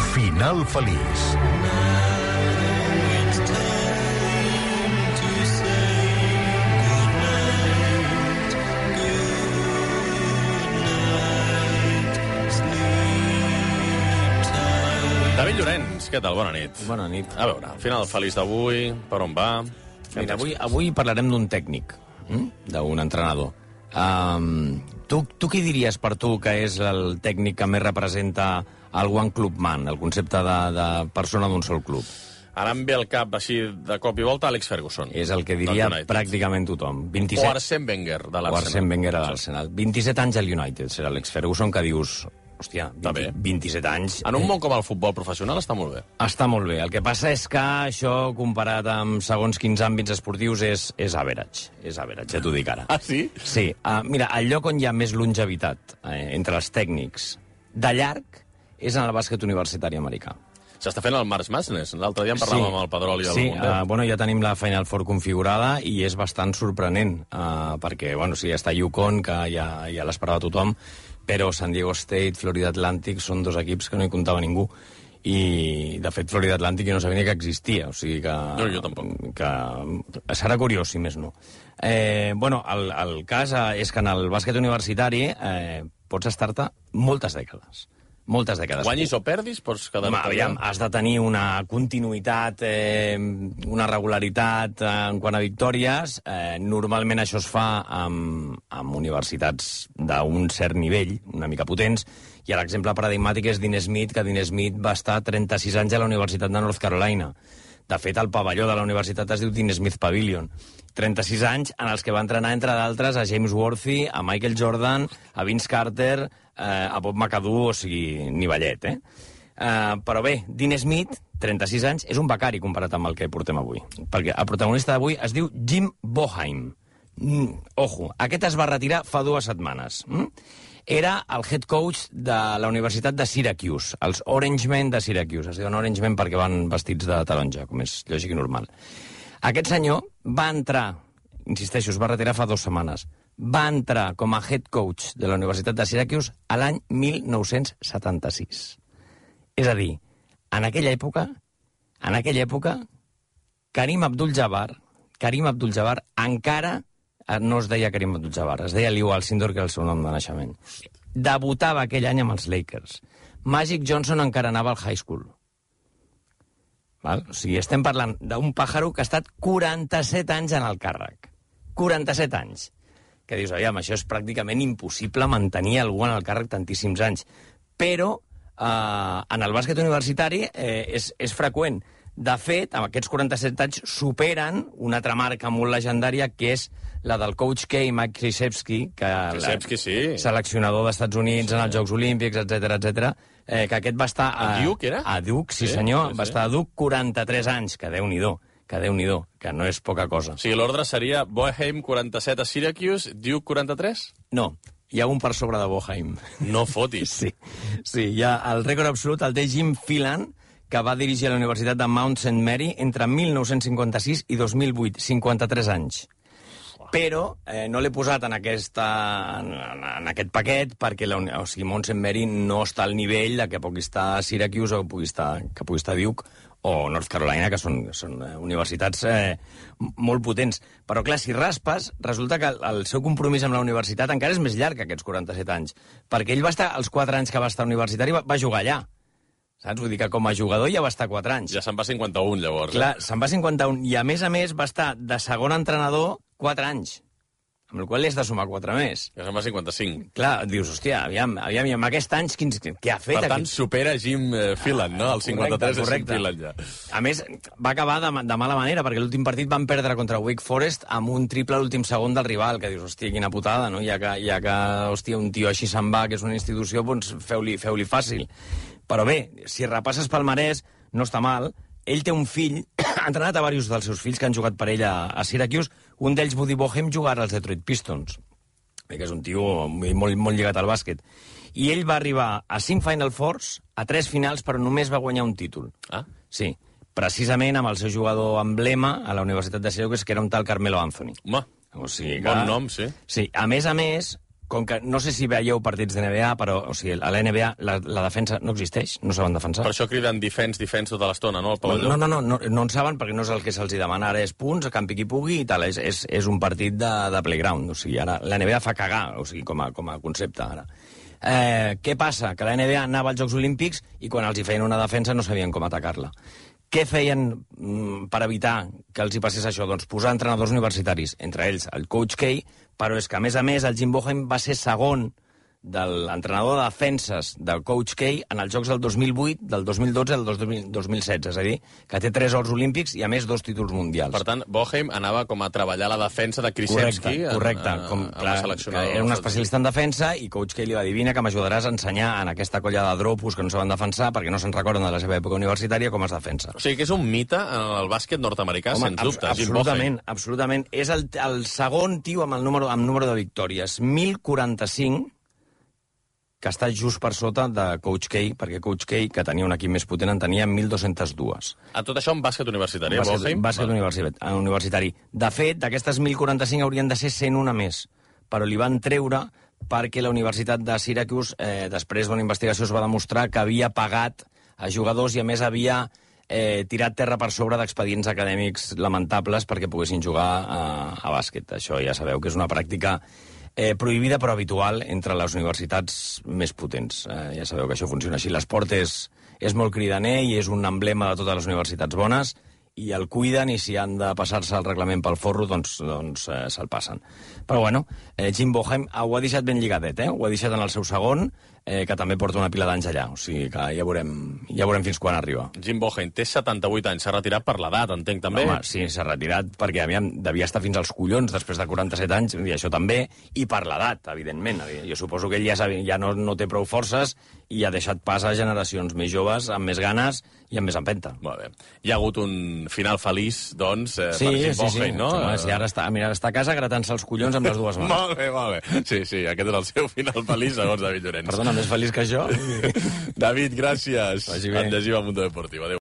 Final feliç. David Llorenç, què tal? Bona nit. Bona nit. A veure, final feliç d'avui, per on va? Mira, avui parlarem d'un tècnic, d'un entrenador. Tu què diries per tu que és el tècnic que més representa el One Club Man, el concepte de persona d'un sol club? Ara em ve al cap, així, de cop i volta, Alex Ferguson. És el que diria pràcticament tothom. O Arsène Wenger, de l'Arsenal. O Arsène Wenger de l'Arsenal. 27 anys al United, serà Alex Ferguson, que dius... Hòstia, 27 anys... En un món com el futbol professional està molt bé. Està molt bé. El que passa és que això, comparat amb segons quins àmbits esportius, és average. És average, ja t'ho dic ara. Ah, sí? Sí. Mira, el lloc on hi ha més longevitat entre els tècnics de llarg és en el bàsquet universitari americà. S'està fent el March Madness. L'altre dia en parlàvem amb el Pedrol i el Mundet. Bueno, ja tenim la Final Four configurada i és bastant sorprenent, perquè, bueno, sí, està UConn, que ja l'esperava tothom, però San Diego State, Florida Atlantic són dos equips que no hi comptava ningú. I, de fet, Florida Atlantic jo no sabia ni que existia, o sigui que... No, jo tampoc. Que serà curiós, si més no. Bueno, el cas és que en el bàsquet universitari pots estar-te moltes dècades. Moltes dècades. Guanyis o perdis, pots quedar... Aviam, has de tenir una continuïtat, una regularitat en quant a victòries. Normalment això es fa amb universitats d'un cert nivell, una mica potents, i l'exemple paradigmàtic és Dean Smith, que Dean Smith va estar 36 anys a la Universitat de North Carolina. De fet, el pavelló de la universitat es diu Dean Smith Pavilion. 36 anys en els que va entrenar, entre d'altres, a James Worthy, a Michael Jordan, a Vince Carter, a Bob McAdoo, o sigui, nivellet, Però bé, Dean Smith, 36 anys, és un becari comparat amb el que portem avui. Perquè el protagonista d'avui es diu Jim Boeheim. Ojo, aquest es va retirar fa 2 setmanes. Era el head coach de la Universitat de Syracuse, els Orange Men de Syracuse. Es diuen Orange Men perquè van vestits de taronja, com és lògic i normal. Aquest senyor va entrar, insisteixo, es va retirar fa 2 setmanes, va entrar com a head coach de la Universitat de Syracuse a l'any 1976. És a dir, en aquella època, Karim Abdul-Jabbar encara no es deia Karim Abdul-Jabbar, es deia Lew Alcindor, que era el seu nom de naixement. Debutava aquell any amb els Lakers. Magic Johnson encara anava al high school. Val? O sigui, estem parlant d'un pàjaro que ha estat 47 anys en el càrrec. 47 anys. Que dius, aviam, això és pràcticament impossible mantenir algú en el càrrec tantíssims anys. Però en el bàsquet universitari és freqüent. De fet, amb aquests 47 anys superen una altra marca molt legendària, que és la del coach K, Mike Krzyzewski, sí. Seleccionador dels Estats Units en els Jocs Olímpics, etc, que aquest va estar... A Duke, era? A Duke, sí senyor. Va estar a Duke 43 anys, que Déu-n'hi-do, que no és poca cosa. O sigui, l'ordre seria Boeheim 47 a Syracuse, Duke 43? No, hi ha un per sobre de Boeheim. No fotis. Sí, hi ha el rècord absolut, el té Jim Phelan, que va dirigir a la Universitat de Mount St. Mary entre 1956 i 2008, 53 anys. Però no l'he posat en aquest paquet perquè Mount St. Mary no està al nivell de que pugui estar Syracuse o que pugui estar Duke o North Carolina, que són universitats molt potents. Però, clar, si raspes, resulta que el seu compromís amb la universitat encara és més llarg que aquests 47 anys, perquè ell va estar, els 4 anys que va estar universitari, va jugar allà. Saps? Vull dir que com a jugador ja va estar 4 anys. Ja se'n va 51, llavors. Clar, se'n va 51. I a més va estar de segon entrenador 4 anys. Amb el qual li has de sumar 4 més. Ja se'n va 55. Clar, dius, hòstia, aviam, i amb aquests anys, què ha fet? Per tant, supera Jim Phelan, no? El 53 és Jim Phelan, ja. A més, va acabar de mala manera, perquè l'últim partit van perdre contra Wake Forest amb un triple a l'últim segon del rival, que dius, hòstia, quina putada, no? Ja que hòstia, un tio així se'n va, que és una institució, doncs feu-li fàcil. Però bé, si repasses palmarès, no està mal. Ell té un fill, ha entrenat a diversos dels seus fills que han jugat per ell a Syracuse. Un d'ells, Buddy Boeheim, jugarà als Detroit Pistons, que és un tio molt lligat al bàsquet. I ell va arribar a 5 Final Fours, a 3 finals, però només va guanyar un títol. Ah? Sí, precisament amb el seu jugador emblema a la Universitat de Syracuse, que era un tal Carmelo Anthony. Home, o sigui que... bon nom, sí. Sí, a més, com que no sé si veieu partits de NBA, però o sigui, a la NBA la defensa no existeix, no saben defensar. Per això criden defense tota l'estona, no? Al pavelló. No en saben perquè no és el que se'ls demana. Ara és punts, a campi qui pugui i tal. És un partit de playground. O sigui, ara la NBA fa cagar, o sigui, com a concepte, ara. Què passa? Que la NBA anava als Jocs Olímpics i quan els hi feien una defensa no sabien com atacar-la. Què feien per evitar que els hi passés això? Doncs posar entrenadors universitaris, entre ells el Coach K, però és que, a més, el Jim Boeheim va ser segon de l'entrenador de defenses del Coach K en els Jocs del 2008, del 2012 i del 2016. És a dir, que té 3 ors olímpics i, a més, 2 títols mundials. Per tant, Boeheim anava com a treballar la defensa de Krzyzewski correcte. la seleccionadora. Era un especialista en defensa i Coach K li va dir, vine que m'ajudaràs a ensenyar en aquesta colla de dropos que no saben defensar perquè no se'n recorden de la seva època universitària com es defensa. O sigui que és un mite en el bàsquet nord-americà, sens dubte. Absolutament. És el segon tio amb número de victòries. 1045, que està just per sota de Coach K, perquè Coach K, que tenia un equip més potent, en tenia 1.202. A tot això en bàsquet universitari, Boeheim? Bàsquet universitari. De fet, d'aquestes 1.045 haurien de ser 101 més, però li van treure perquè la Universitat de Syracuse, després d'una investigació, es va demostrar que havia pagat a jugadors i, a més, havia tirat terra per sobre d'expedients acadèmics lamentables perquè poguessin jugar a bàsquet. Això ja sabeu que és una pràctica prohibida però habitual entre les universitats més potents. Ja sabeu que això funciona així. L'esport és molt cridaner i és un emblema de totes les universitats bones i el cuiden i si han de passar-se el reglament pel forro, doncs se'l passen. Però bueno, Jim Boeheim ho ha deixat ben lligadet, ho ha deixat en el seu segon, que també porta una pila d'anys allà, o sigui que ja veurem fins quan arriba. Jim Boeheim té 78 anys, s'ha retirat per l'edat, entenc, també? Home, sí, s'ha retirat perquè devia estar fins als collons després de 47 anys, i això també, i per l'edat, evidentment. Jo suposo que ell ja no té prou forces i ha deixat pas a generacions més joves, amb més ganes i amb més empenta. Molt bé. Hi ha hagut un final feliç, doncs, per Jim Boeheim, no? Home, sí, ara està a casa gratant-se els collons amb les dues mans. Molt bé. Sí, aquest és el seu final feliç, segons David Llorenç. Perdona, més feliç que jo. David, gràcies. En llegim al Mundo Deportiu. Adéu.